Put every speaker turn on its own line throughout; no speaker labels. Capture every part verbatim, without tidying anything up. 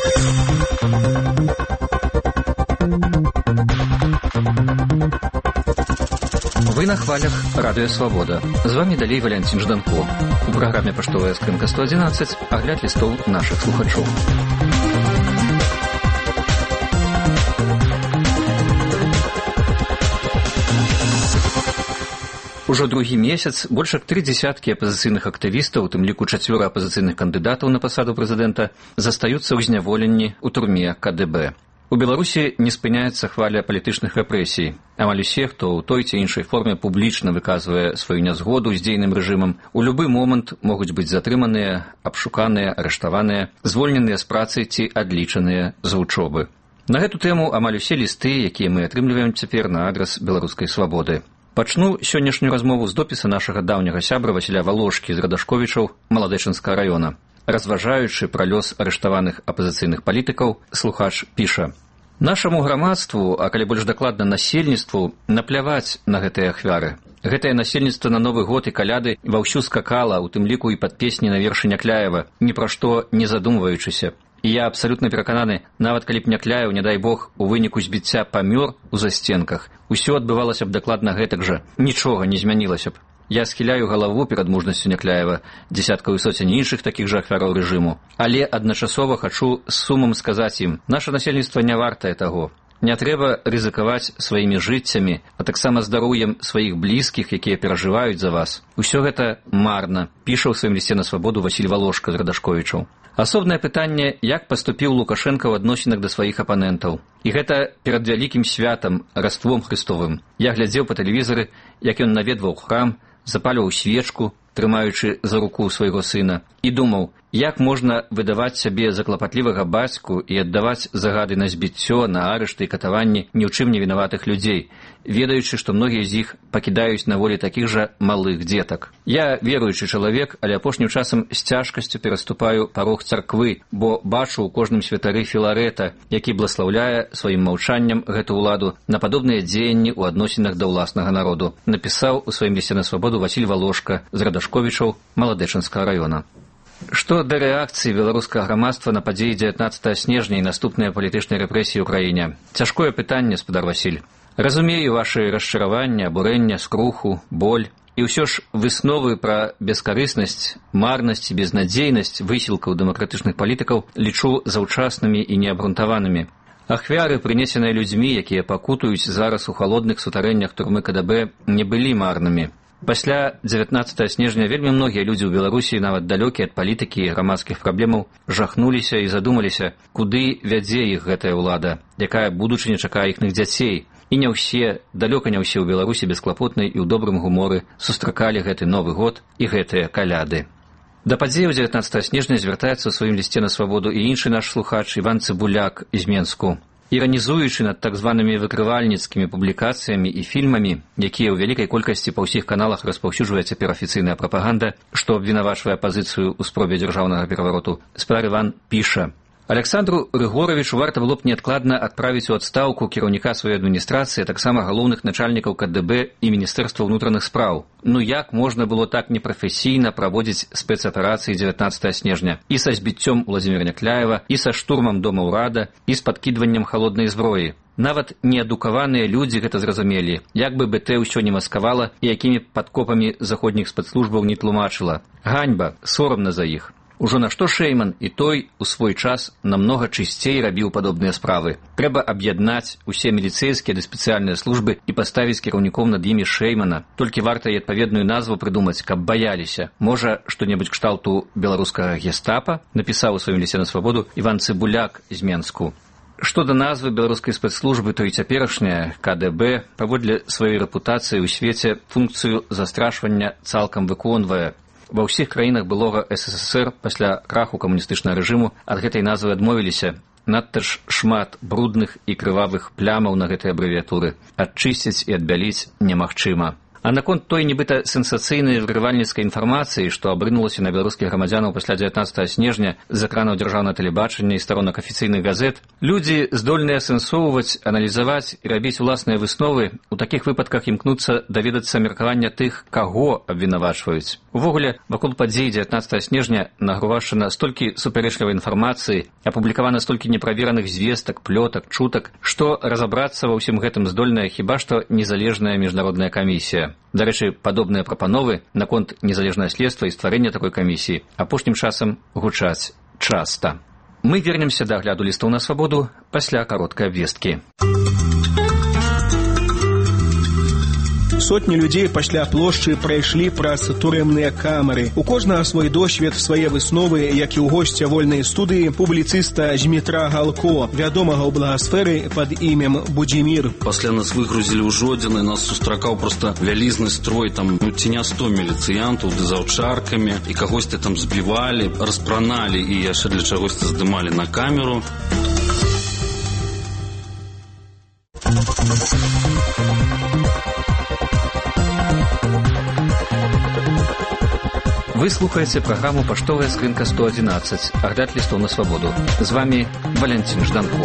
Вы на хвалях Радио Свобода. З вами далей Валянцін Жданко. У праграме «Паштовая скрынка сто одиннадцать» агляд лістоў нашых слухачоў. Ужо другі месяц больш як тры дзесяткі апазіцыйных актывістаў, у тым ліку чацвёра апазіцыйных кандыдатаў на пасаду прэзідэнта, застаюцца ў зняволенні ў турме ка дэ бэ. У Беларусі не спыняецца хваля палітычных рэпрэсій. Амаль усе, хто ў той ці іншай форме публічна выказвае сваю нязгоду з дзейным рэжымам, у любы момант могуць быць затрыманыя, абшуканыя, арыштаваныя, звольненыя з працы ці адлічаныя з вучобы. На гэту тэму амаль усе лісты, якія мы атрымліваем цяпер на адрас беларускай свабоды. Пачну сённяшнюю размову з допіса нашага даўняга сябра Васіля Валошкі з Радашковічаў Маладэчынскага раёна. Разважаючы пра лёс арыштаваных апазіцыйных палітыкаў, слухач піша: «Нашаму грамадству, а калі больш дакладна насельніцтву, напляваць на гэтыя ахвяры. Гэтае насельніцтва на Новы год і каляды ва ўсю скакала, у тым ліку і пад песні на вершы Някляева, ні пра што не задумваючыся. І я абсалютна перакананы, нават калі б Някляеў, не дай Бог, у выніку збіцця памёр у засценках, усё адбывалася б дакладна гэтак жа, нічога не змянілася б. Я схіляю галаву перад мужнасцю Някляева, дзесяткаў і соцень іншых такіх жа ахвяраў рэжыму, але адначасова хачу з сумам сказаць ім: наша насельніцтва не вартае таго. Не трэба рызыкаваць сваімі жыццямі, а таксама здароўем сваіх блізкіх, якія перажываюць за вас. Усё гэта марна», піша ў сваім лісце на свабоду Васіль Валошка з Радашковічаў. Асобнае пытанне, як паступіў Лукашенка ў адносінах да сваіх апанентаў. І гэта перад вялікім святам, Раством Хрыстовым. Я глядзеў па тэлевізары, як ён наведваў храм, запальваў свечку, трымаючы за руку свайго сына, і думаў, як можна выдаваць сябе за клапатлівага бацьку і аддаваць загады на збіццё, на арышты і катаванні ні ў чым не вінаватых людзей, ведаючы, што многія з іх пакідаюць на волі такіх жа малых дзетак. Я веруючы чалавек, але апошнім часам з цяжкасцю пераступаю парог царквы, бо бачу ў кожным святары Філарэта, які бласлаўляе сваім маўчаннем гэту ўладу на падобныя дзеянні ў адносінах да ўласнага народу, напісаў у сваім лісце на свабоду Васіль Валошка з Радашковічаў Маладэчынскага раёна. Што да рэакцыі беларускага грамадства на падзеі дзевятнаццатага снежня і наступныя палітычныя рэпрэсіі ў краіне? Цяжкое пытанне, спадар Васіль. Разумею вашы расчараванне, абурэнне, скруху, боль. І ўсё ж высновы пра бескарыснасць, марнасць і безнадзейнасць высілкаў дэмакратычных палітыкаў лічу заўчаснымі і неабгрунтаванымі. Ахвяры, прынесеныя людзьмі, якія пакутуюць зараз у халодных сутарэннях турмы ка дэ бэ, не былі марнымі. Пасля дзевятнаццатага снежня вельмі многія людзі ў Беларусі, нават далёкія ад палітыкі і грамадскіх праблемаў, жахнуліся і задумаліся, куды вядзе іх гэтая ўлада, якая будучыня чакае іхных дзяцей. І не ўсе, далёка не ўсе ў Беларусі бесклапотнай і ў добрым гуморы сустракалі гэты Новы год і гэтыя каляды. Да падзеяў дзевятнаццатага снежня звяртаецца ў сваім лісце на свабоду і іншы наш слухач Іван Цыбуляк з Менску. Іранізуючы над так званымі выкрывальніцкімі публікацыямі і фільмамі, якія ў вялікай колькасці па ўсіх каналах распаўсюджвае цяпер афіцыйная прапаганда, што абвінавачвае апазіцыю ў спробе дзяржаўнага перавароту, спадар Іван піша: «Александру Рыгоровичу варта было б неадкладна адправіць у адстаўку кіраўніка сваёй адміністрацыі, таксама галоўных начальнікаў ка дэ бэ і Міністэрства ўнутраных спраў. Ну як можна было так непрафесійна праводзіць спецаперацыі дзевятнаццатага снежня і са збіццём Уладзіміра Някляева, і са штурмам дома ўрада, і з падкідваннем халоднай зброі? Нават неадукаваныя людзі гэта зразумелі, як бы бэ тэ ўсё не маскавала і якімі падкопамі заходніх спецслужбаў не тлумачыла. Ганьба, сорамна за іх. Ужо на што Шэйман і той у свой час намнога чысцей рабіў падобныя справы. Трэба аб'яднаць усе міліцэйскія ды спецыяльныя службы і паставіць кіраўніком над імі Шэймана. Толькі варта і адпаведную назву прыдумаць, каб баяліся. Можа, што-небудзь кшталту беларускага гестапа, напісаў у сваім лісце на свабоду Іван Цыбуляк з Менску. Што да назвы беларускай спецслужбы, то і цяперашняя ка дэ бэ паводле сваёй рэпутацыі ў свеце функцыю застрашвання цалкам выконвае. Ва ўсіх краінах былога эс эс эс эр пасля краху камуністычнага рэжыму ад гэтай назвы адмовіліся. Надта ж шмат брудных і крывавых плямаў на гэтай абрэвіятуры. Адчысціць і адбяліць немагчыма. А наконт той нібыта сенсацыйнай выкрывальніцкай інфармацыі, што абрынулася на беларускіх грамадзянаў пасля дзевятнаццатага снежня з экранаў дзяржаўнага тэлебачання і старонак афіцыйных газет, людзі здольныя асэнсоўваць, аналізаваць і рабіць уласныя высновы, у такіх выпадках імкнуцца даведацца меркавання тых, каго абвінавачваюць. Увогуле, вакол падзей дзевятнаццатага снежня нагрувашчана столькі супярэчлівай інфармацыі, апублікавана столькі неправераных звестак, плётак, чутак, што разабрацца ва ўсім гэтым здольная хіба што незалежная міжнародная камісія. Дарэчы, падобныя прапановы наконт незалежнага следства і стварэння такой камісіі апошнім часам гучаць часта. Мы вернемся да агляду лістаў на свабоду пасля кароткай абвесткі.
Сотні людзей пасля плошчы прайшлі праз турэмныя камеры. У кожнага свой досвед, свае высновы, як і ў госця вольнай студыі, публіцыста Змітра Галко, вядомага ў благасферы пад імем Будзімір.
Пасля нас выгрузілі ў Жодзіны, нас сустракаў проста вялізны строй, там ну, ці не сто міліцыянтаў ды з аўчаркамі, і кагосьці там збівалі, распраналі і яшчэ для чагосьці здымалі на камеру.
Вы слухаеце праграму «Паштовая скрынка сто адзінаццаць», агляд лістаў на свабоду. З вами Валянцін Жданко.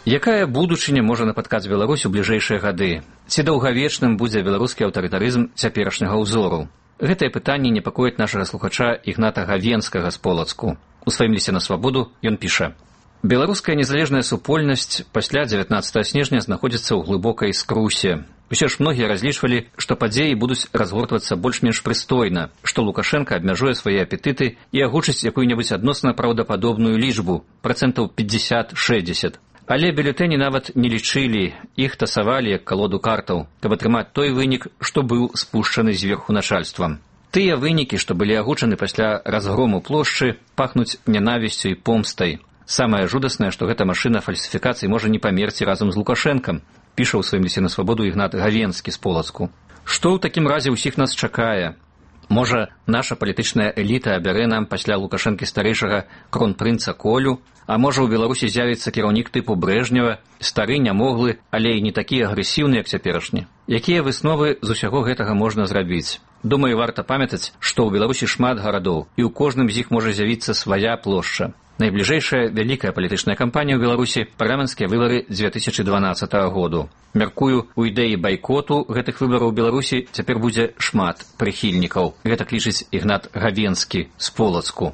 Якая будучыня можа напаткаць Беларусь у бліжэйшыя гады? Ці даўгавечным будзе беларускі аўтарытарызм цяперашняга ўзору? Гэтае пытанне непакоіць нашага слухача Ігната Гавенскага з Полацку. У сваім лісце на свабоду ён піша: «Беларуская незалежная супольнасць пасля дзевятнаццатага снежня знаходзіцца ў глыбокай скрусе. Усе ж многія разлічвалі, што падзеі будуць разгортвацца больш-менш прыстойна, што Лукашенка абмяжуе свае апетыты і агучыць якую-небудзь адносна праўдападобную лічбу, працэнтаў пятьдесят шестьдесят. Але бюлетэні нават не лічылі, іх тасавалі як калоду картаў, каб атрымаць той вынік, што быў спушчаны зверху начальствам. Тыя вынікі, што былі агучаны пасля разгрому плошчы, пахнуць нянавісцю і помстай. Самае жудаснае, што гэта машына фальсіфікацый можа не памерці разам з Лукашэнкам, піша ў сваім лісце на свабоду Ігнат Гавенскі з Полацку. Што ў такім разе ўсіх нас чакае? Можа, наша палітычная эліта абярэ нам пасля Лукашэнкі старэйшага кронпрынца Колю, а можа, у Беларусі з'явіцца кіраўнік тыпу Брэжнева, стары, нямоглы, але і не такі агрэсіўны, як цяперашні. Якія высновы з усяго гэтага можна зрабіць? Думаю, варта памятаць, што ў Беларусі шмат гарадоў, і ў кожным з іх можа з'явіцца свая плошча. Найбліжэйшая вялікая палітычная кампанія ў Беларусі – парламенцкія выбары дзве тысячы дванаццатага году. Мяркую, у ідэі байкоту гэтых выбараў у Беларусі цяпер будзе шмат прыхільнікаў. Гэта лічыць Ігнат Гавенскі з Полацку.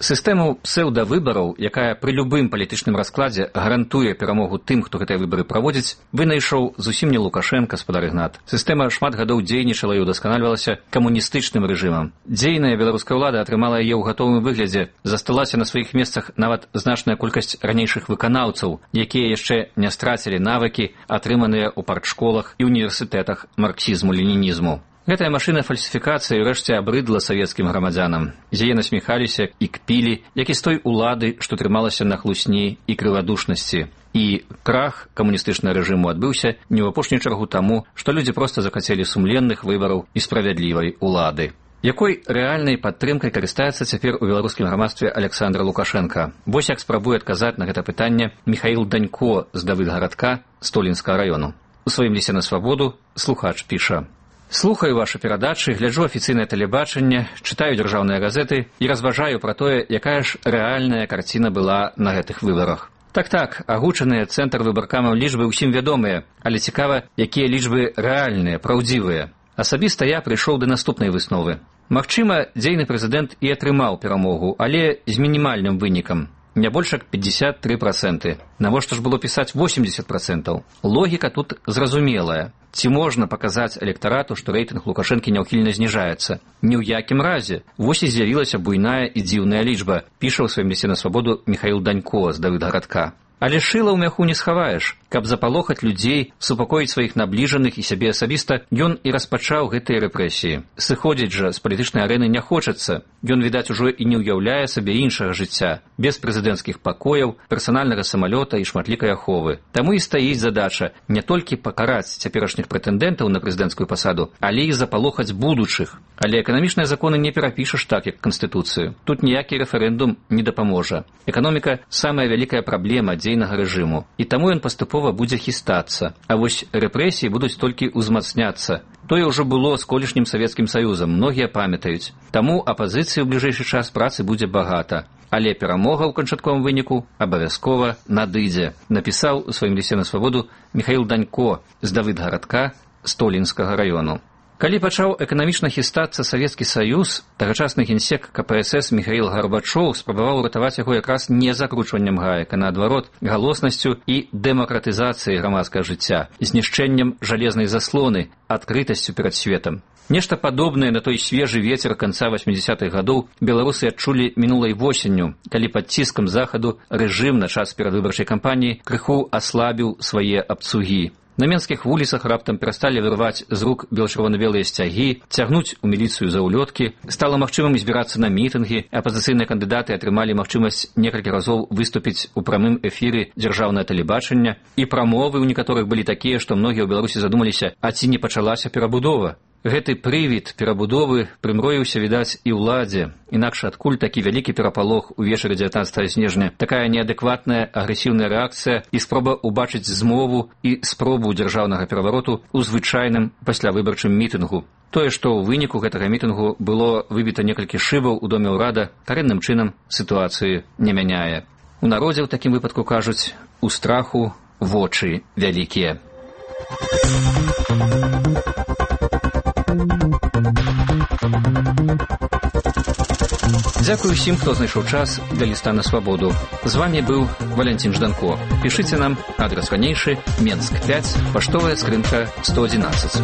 Сістэму псеўдавыбараў, якая пры любым палітычным раскладзе гарантуе перамогу тым, хто гэтыя выбары праводзіць, вынайшоў зусім не Лукашенка, спадар Ігнат. Сістэма шмат гадоў дзейнічала і удасканальвалася камуністычным рэжымам. Дзейная беларуская ўлада атрымала яе ў гатовым выглядзе, засталася на сваіх месцах нават значная колькасць ранейшых выканаўцаў, якія яшчэ не страцілі навыкі, атрыманыя ў партшколах і універсітэтах марксізму-ленінізму. Гэтая машына фальсіфікацыі ўрэшце абрыдла савецкім грамадзянам. З яе насміхаліся і кпілі, як і з той улады, што трымалася на хлусні і крывадушнасці. І крах камуністычнага рэжыму адбыўся не ў апошнюю чаргу таму, што людзі проста захацелі сумленных выбараў і справядлівай улады. Якой рэальнай падтрымкай карыстаецца цяпер у беларускім грамадстве Александр Лукашенка? Вось як спрабуе адказаць на гэта пытанне Міхаіл Данько з Давыдгарадка Столінскага раёну. У сваім лісце на свабоду слухач піша: «Слухаю ваши перадачы, гляджу афіцыйнае тэлебачанне, чытаю дзяржаўныя газеты і разважаю пра тое, якая ж рэальная карціна была на гэтых выбарах. Так-так, агучаныя цэнтр выбаркамаў лічбы ўсім вядомыя, але цікава, якія лічбы рэальныя, праўдзівыя. Асабіста я прыйшоў да наступнай высновы. Магчыма, дзейны прэзідэнт і атрымаў перамогу, але з мінімальным вынікам. Не больш як пятьдесят три процента. Навошта ж было пісаць восемьдесят процентов? Логіка тут зразумелая. Ці можна паказаць электарату, што рэйтынг Лукашэнкі няўхільна зніжаецца? Ні ў якім разе. Вось і з'явілася буйная і дзіўная лічба, піша ў сваім лісце на свабоду Міхаіл Данько з Давыдгарадка. Але шыла ў мяху не схаваеш. Каб запалохаць людзей, супакоіць сваіх набліжаных і сябе асабіста, ён і распачаў гэтыя рэпрэсіі. Сыходзіць жа з палітычнай арэны не хочацца. Ён, відаць, ужо і не ўяўляе сабе іншага жыцця, без прэзідэнцкіх пакояў, персанальнага самалёта і шматлікай аховы. Таму і стаіць задача не толькі пакараць цяперашніх прэтэндэнтаў на прэзідэнцкую пасаду, але і запалохаць будучых. Але эканамічныя законы не перапішаш так, як Канстытуцыю. Тут ніякі рэферэндум не дапаможа. Эканоміка – самая вялікая праблема дзейнага рэжыму, і таму ён паступова будзе хістацца. А вось рэпрэсіі будуць толькі ўзмацняцца. Тое ўжо было з колішнім Савецкім Саюзам, многія памятаюць. Таму апазіцыі ў бліжэйшы час працы будзе багата. Але перамога ў канчатковым выніку абавязкова надыдзе, напісаў у сваім лісце на свабоду Міхаіл Данько з Давыдгарадка Столінскага раёну. Калі пачаў эканамічна хістацца Савецкі Саюз, тагачасны генсек ка пэ эс эс Міхаіл Гарбачоў спрабаваў уратаваць яго якраз не закручваннем гаек, а наадварот, галоснасцю і дэмакратызацыяй грамадскага жыцця, знішчэннем жалезнай заслоны, адкрытасцю перад светам. Нешта падобнае на той свежы вецер канца васьмідзясятых гадоў беларусы адчулі мінулай восенню, калі пад ціскам захаду рэжым на час перадвыбарчай кампаніі крыху аслабіў свае абцугі. На менскіх вуліцах раптам перасталі вырваць з рук бело-чырвона-белыя сцягі, цягнуць у міліцыю за ўлёткі, стала магчымым збірацца на мітынгі, апазіцыйныя кандыдаты атрымалі магчымасць некалькі разоў выступіць у прамым эфіры дзяржаўнае тэлебачання, і прамовы ў некаторых былі такія, што многія ў Беларусі задумаліся, а ці не пачалася перабудова. Гэты прывід перабудовы прымроіўся, відаць, і ўладзе. Інакш адкуль такі вялікі перапалох увечары дзевятнаццатага снежня, такая неадэкватная агрэсіўная рэакцыя і спроба ўбачыць змову і спробу дзяржаўнага перавароту ў звычайным паслявыбарчым мітынгу. Тое, што ў выніку гэтага мітынгу было выбіта некалькі шыбаў у доме ўрада, карэнным чынам сітуацыі не мяняе. У народзе ў такім выпадку кажуць, у страху вочы вялікія. Дзякую ўсім, хто знайшоў час для ліста на свабоду. З вами быў Валянцін Жданко. Пішыце нам, адрас ранейшы, Менск пяць, паштовая скрынка сто адзінаццаць.